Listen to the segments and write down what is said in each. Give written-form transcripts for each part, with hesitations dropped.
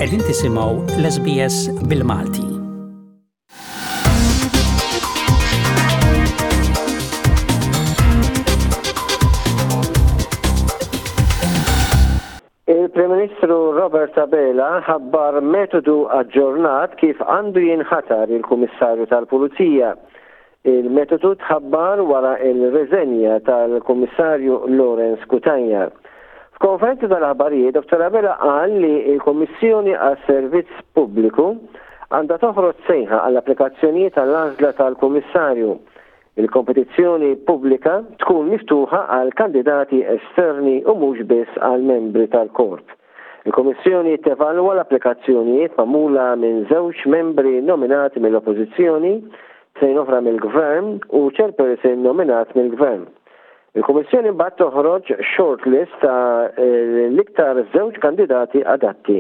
Qegħdin tisimgħu l-SBS bil-Malti. Il-Prim Ministru Robert Abela ħabbar metodu aġġornat kif għandu jinħatar il-Kummissarju tal-Pulizija. Il-metodu tħabbar wara l-riżenja tal-Kummissarju Lawrence Cutajar. F'konferenza tal-aħbarijiet, Dottor Abela qal li l-Kummissjoni għas-Servizz Pubbliku għandha toħroġ sejħa għall-applikazzjonijiet għall-għażla tal-Kummissarju. Il-kompetizzjoni pubblika tkun miftuħa għal kandidati esterni u mhux biss għal membri tal-korp. Il-Kummissjoni tevalwa l-applikazzjonijiet magħmula minn żewġ membri nominati mill-Oppożizzjoni, tnejn oħra mill-Gvern u chairperson nominat mill-Gvern. Il-Kummissjoni mbagħad toħroġ shortlist ta' l-iktar żewġ kandidati adatti.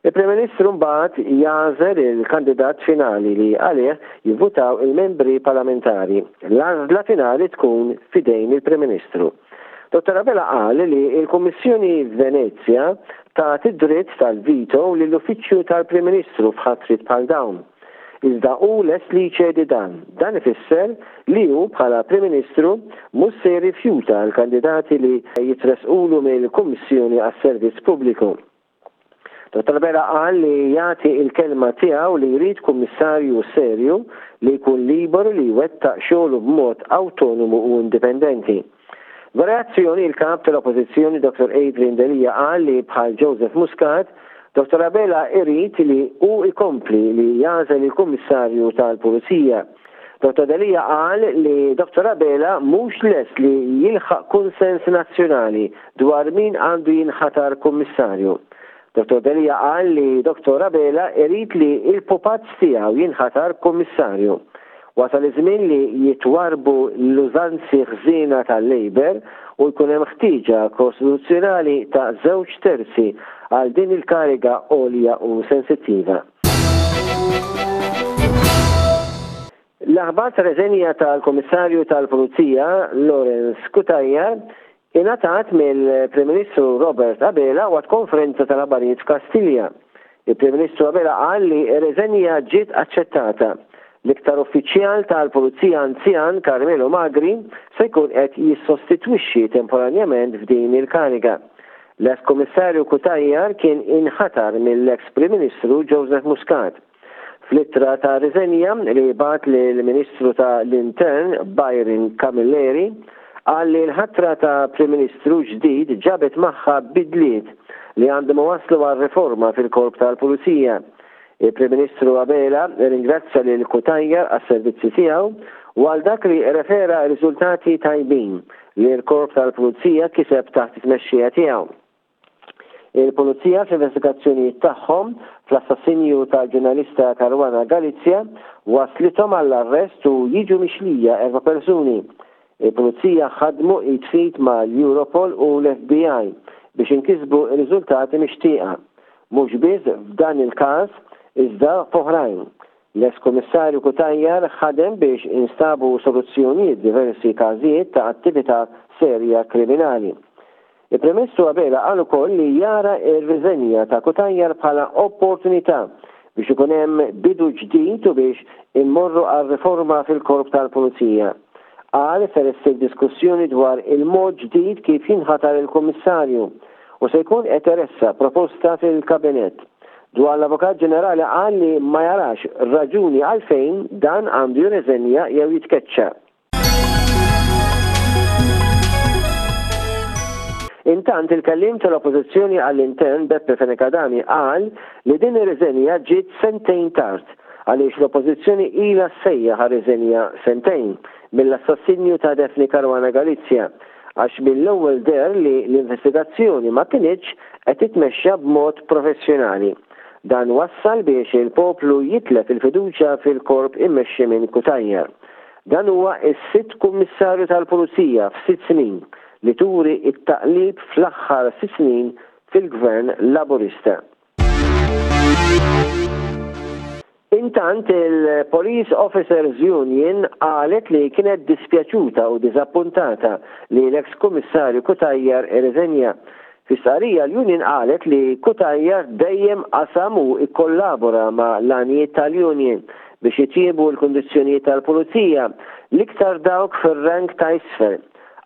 Il-Prim Ministru mbagħad jagħżel il-kandidat finali li għalih jivvutaw il-membri parlamentari. L-għażla finali tkun f'idejn il-Prim Ministru. Dottor Abela qal li l-Kummissjoni Venezja tat id-dritt tal-veto lill-Uffiċċju tal-Prim Ministru f'ħatriet bħal dawn. Iżda hu lest li jċedi dan. Dan ifisser li hu bħala Prim Ministru mhux se jirrifjuta l-kandidati li jitressqulu mill-Kummissjoni għas-Servizz Pubbliku. Dottor Abela qal li jagħti l-kelma tiegħu li jrid Kummissarju serju li jkun liberu li jwettaq xogħlu b'mod awtonomu u indipendenti. B'reazzjoni, il-Kap tal-Oppożizzjoni Dottor Adrian Delia qal li bħal Joseph Muscat, Dottor Abela irid li hu jkompli li jagħżel il-Kummissarju tal-Pulizija. Dottor Delia qal li Dottor Abela mhux lest li jilħaq kunsens nazzjonali dwar min għandu jinħatar Kummissarju. Dottor Delia qal li Dottor Abela irid li l-pupazz tiegħu jinħatar Kummissarju. Wasal iż-żmien li jitwarrbu l-użanzi ħżiena tal-Labour u jkun hemm ħtieġa kostituzzjonali ta' żewġ terzi għal din il-kariga għolja u sensittiva. L-aħbar tar-reżenja tal-Kummissarju tal-Pulizija Lawrence Cutajar ingħatat mill-Prim Ministru Robert Abela waqt konferenza tal-aħbarijiet f'Kastilja. Il-Prim Ministru Abela qal li r-reżenja ġiet aċċettata. L-iktar uffiċjal tal-Pulizija anzjan Carmelo Magri se jkun qed jissostitwixxi temporanjament f'din il-kariga. L-eks Kummissarju Cutajar kien inħatar mill-eks Prim Ministru Joseph Muscat. Fl-ittra ta' riżenja li bagħat lill-Ministru ta' l-Intern Byron Camilleri, qal li l-ħatra ta' Prim Ministru ġdid ġabet magħha bidliet li għandhom iwasslu għal riforma fil-Korp tal-Pulizija. Il-Prim Ministru Abela rringrazzja lil Cutajar għas-servizzi tiegħu u għal dak li rrefera riżultati tajbin li l-Korp tal-Pulizija kiseb taħt it-tmexxija tiegħu. Il-Pulizija fl-investigazzjonijiet tagħhom fl-assassinju tal-ġurnalista Caruana Galizia waslithom għall-arrest u jiġu mixlija erba' persuni. Il-Pulizija ħadmu id f'id mal-Europol u l-FBI biex inkisbu r-riżultati mixtieqa. Mhux biss f'dan il-każ iżda f'oħrajn. L-eks Kummissarju Cutajar ħadem biex instabu soluzzjonijiet f'diversi każijiet ta' attività serja kriminali. Il-Prim Ministru Abela qal ukoll li jara r-riżenja ta' Cutajar bħala opportunità biex ikun hemm bidu ġdid u biex immorru għal riforma fil-Korp tal-Pulizija. Qal ser issir diskussjoni dwar il-mod ġdid kif jinħatar il-Kummissarju u se jkun qed iressaq proposta fil-Kabinett. Dwar l-Avukat Ġenerali qal li ma jarax raġuni għalfejn dan għandu jirriżenja jew jitkeċċa. Intant, il-Kelliem tal-Oppożizzjoni għall-Intern Beppe Fenech Adami qal li din ir-riżenja ġiet sentejn tard għaliex l-Oppożizzjoni ilha ssejjaħ għar-riżenja sentejn mill-assassinju ta' Daphne Caruana Galizia għax mill-ewwel deher li l-investigazzjoni ma kinitx qed titmexxa b'mod professjonali. Dan wassal biex il-poplu jitlef il-fiduċja fil-korp immexxi minn Cutajar. Dan huwa s-sitt Kummissarju tal-Pulizija f'sitt snin li turi t-taqlib fl-aħħar sitt snin fil-Gvern Laburista. Intant il-Police Officers Union qalet li kienet dispjaċuta u diżappuntata li l-eks Kummissarju Cutajar irriżenja. Fi stqarrija l-union qalet li Cutajar dejjem qasam u kkollabora ma' l-għanijiet tal-union biex jitjiebu l-kundizzjonijiet tal-pulizija, l-iktar dawk fir-rank ta' isfel.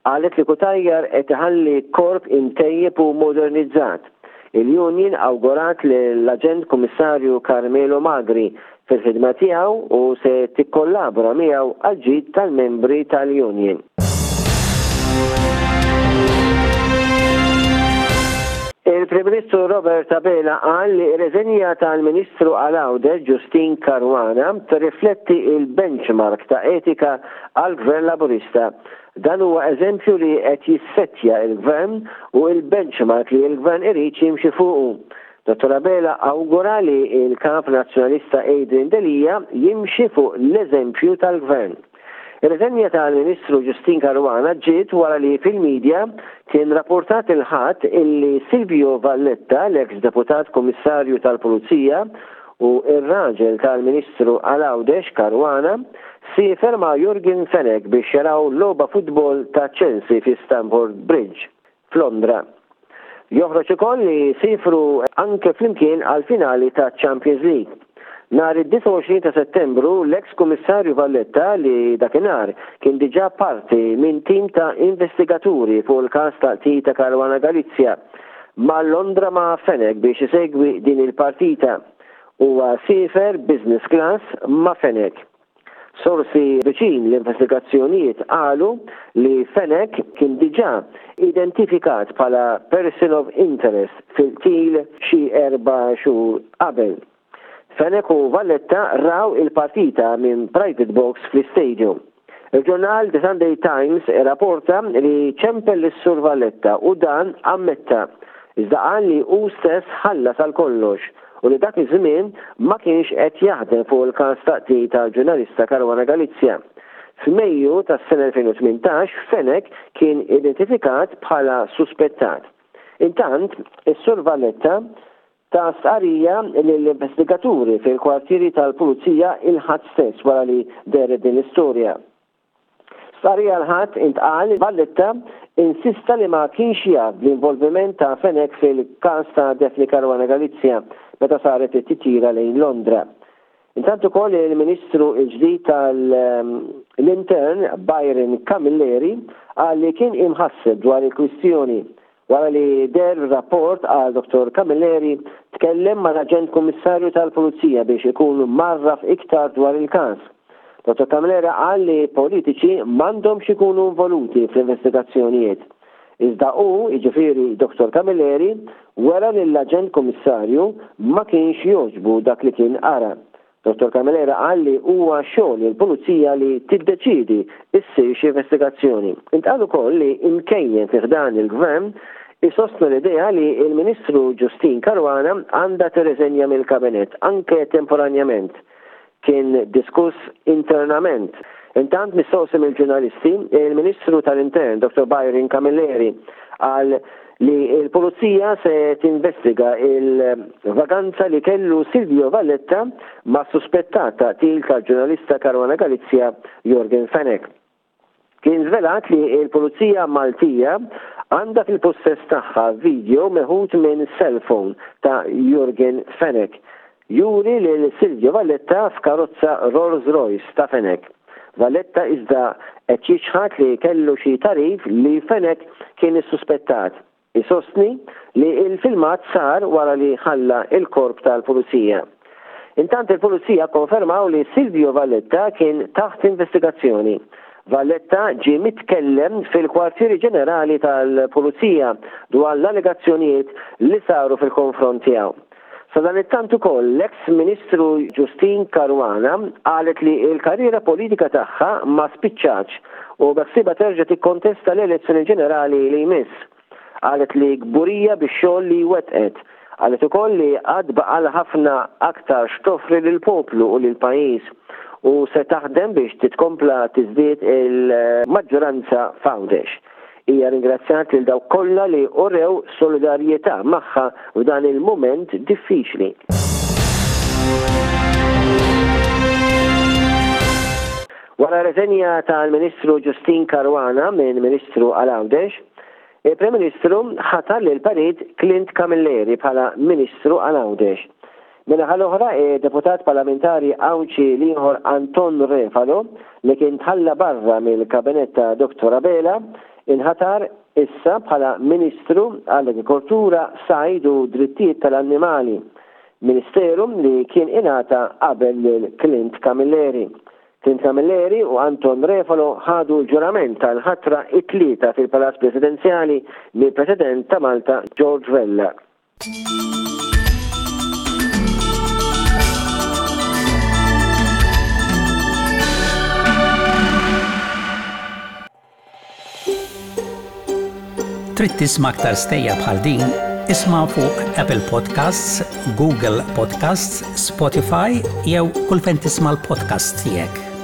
Qalet li Cutajar qed iħalli korp imtejjeb u modernizzat. Il-union awgurat lill-Aġent Kummissarju Carmelo Magri fil-ħidma tiegħu u se tikkollabora miegħu għall-ġid tal-membri tal-union. Il-Prim Ministru Robert Abela qal li r-reżenja tal-Ministru għal Għawdex Justyne Caruana tirrifletti l-benchmark ta' etika għall-Gvern Laburista. Dan huwa eżempju li qed jissettja l-Gvern u l-benchmark li l-Gvern irid jimxi fuqu. Dottor Abela awgura li l-Kap Nazzjonalista Adrian Delia jimxi fuq l-eżempju tal-Gvern. Ir-riżenja tal-Ministru Justyne Caruana ġiet wara li fil-media kien rappurtat il-Ħadd illi Silvio Valletta, l-eks Deputat Kummissarju tal-Pulizija u r-raġel tal-Ministru għal Għawdex Caruana, siefer ma' Yorgen Fenech biex jaraw logħba futbol ta' Chelsea fi Stamford Bridge. f'Londra. Joħroġ ukoll li siefru anke flimkien għall-finali taċ-Champions League. Nhar id-29 ta' Settembru, l-eks Kummissarju Valletta li dakinhar kien diġà parti minn tim ta' investigaturi fuq il-każ ta' qtil ta' Caruana Galizia, mar Londra ma' Fenech biex isegwi din il-partita. Huwa siefer business class ma' Fenech. Sorsi viċin l-investigazzjonijiet qalu li Fenech kien diġà identifikat bħala person of interest fil-qtil xi erba' xhur qabel. Fenech u Valletta raw il-partita minn private box fl-istadium. Il-ġurnal The Sunday Times irraporta li ċempel lis-Sur Valletta u dan ammetta, iżda qal li hu stess ħallas għal kollox u li dak iż-żmien ma kienx qed jaħdem fuq il-każ ta' qtil tal-ġurnalista Caruana Galizia. F'Mejju tas-sena 2018 Fenech kien identifikat bħala suspettat. Intant, is-Sur Valletta ta stqarrija lill-investigaturi fil-kwartieri tal-Pulizija il-Ħadd stess wara li dehret din l-istorja. Stqarrija l-Ħadd intqal li Valletta insista li ma kienx jaf bl-involviment ta' Fenech fil-każ ta' Daphne Caruana Galizia meta saret it-titjira lejn Londra. Intant ukoll il-Ministru l-ġdid tal-Intern Byron Camilleri qal li kien imħasseb dwar il-kwistjoni Wara li deher ir-rapport, qal Dottor Camilleri, tkellem mal-Aġent Kummissarju tal-Pulizija biex ikun mgħarraf iktar dwar il-każ. Dottor Camilleri qal li politiċi m'għandhomx ikunu involuti fl-investigazzjonijiet. Iżda hu, jiġifieri Dottor Camilleri, wera li l-Aġent Kummissarju ma kienx jogħġbu dak li kien qara. Dottor Camilleri qal li huwa xogħol il-Pulizija li tiddeċiedi ssirx investigazzjoni. Intqal ukoll li imkejjen fi ħdan il-Gvern isostnu l-idea li l-Ministru Justyne Caruana għandha tirriżenja mill-Kabinett anke temporanjament. Kien diskuss internament. Intant mistoqsi mill-ġurnalisti, il-Ministru tal-Intern Dottor Byron Camilleri qal li l-Pulizija se tinvestiga l-vaganza li kellu Silvio Valletta mas-suspettat ta' qtil tal-ġurnalista Caruana Galizia Yorgen Fenech. Kien żvelat li l-Pulizija Maltija għandha fil-pussess tagħha video meħud minn cellphone ta' Yorgen Fenech juri lil Silvio Valletta f'karozza Rolls Royce ta' Fenech. Valletta iżda qed jiċħad li kellu xi tagħrif li Fenech kien issuspettat. Isostni li l-filmat sar wara li ħalla l-korp tal-Pulizija. Intant il-Pulizija kkonfermaw li Silvio Valletta kien taħt investigazzjoni. Valletta ġie mitkellem fil-Kwartieri Ġenerali tal-Pulizija dwar l-allegazzjonijiet li saru fil-konfront tiegħu. Sadanittant ukoll l-eks Ministru Justyne Caruana qalet li l-karriera politika tagħha ma spiċċatx u beħsiebha terġa' tikkontesta l-elezzjoni ġenerali li jmiss. Qalet li kburija bix-xogħol li wettqet. Qalet ukoll li għad baqalha ħafna aktar x'toffri lill-poplu u lill-pajjiż u se taħdem biex titkompla tiżdied il-maġġoranza f'Għawdex. Hija ringrazzjat lil dawk kollha li urew solidarjetà magħha f'dan il-mument diffiċli. Wara r-reżenja tal-Ministru Justyne Caruana minn Ministru għal Għawdex, Il-Prim Ministru ħatar lill-Perit Clint Camilleri bħala Ministru għal Għawdex. Min-naħa l-oħra, id-Deputat Parlamentari Għawdxi l-ieħor Anton Refalo, li kien tħalla barra mill-Kabinett ta' Dottor Abela, inħatar issa bħala Ministru għall-Agrikoltura, Sajd u Drittijiet tal-Annimali, Ministeru li kien ingħata qabel lil Clint Camilleri. Clint Camilleri u Anton Refalo ħadu l-ġurament tal-ħatra it-Tlieta fil-Palazz Presidenzjali mill-President ta' Malta George Vella. Trid tisma' aktar stejjer bħal din? Isma' fuq Apple Podcasts, Google Podcasts, Spotify jew kull fejn tisma' l-podcasts tiegħek.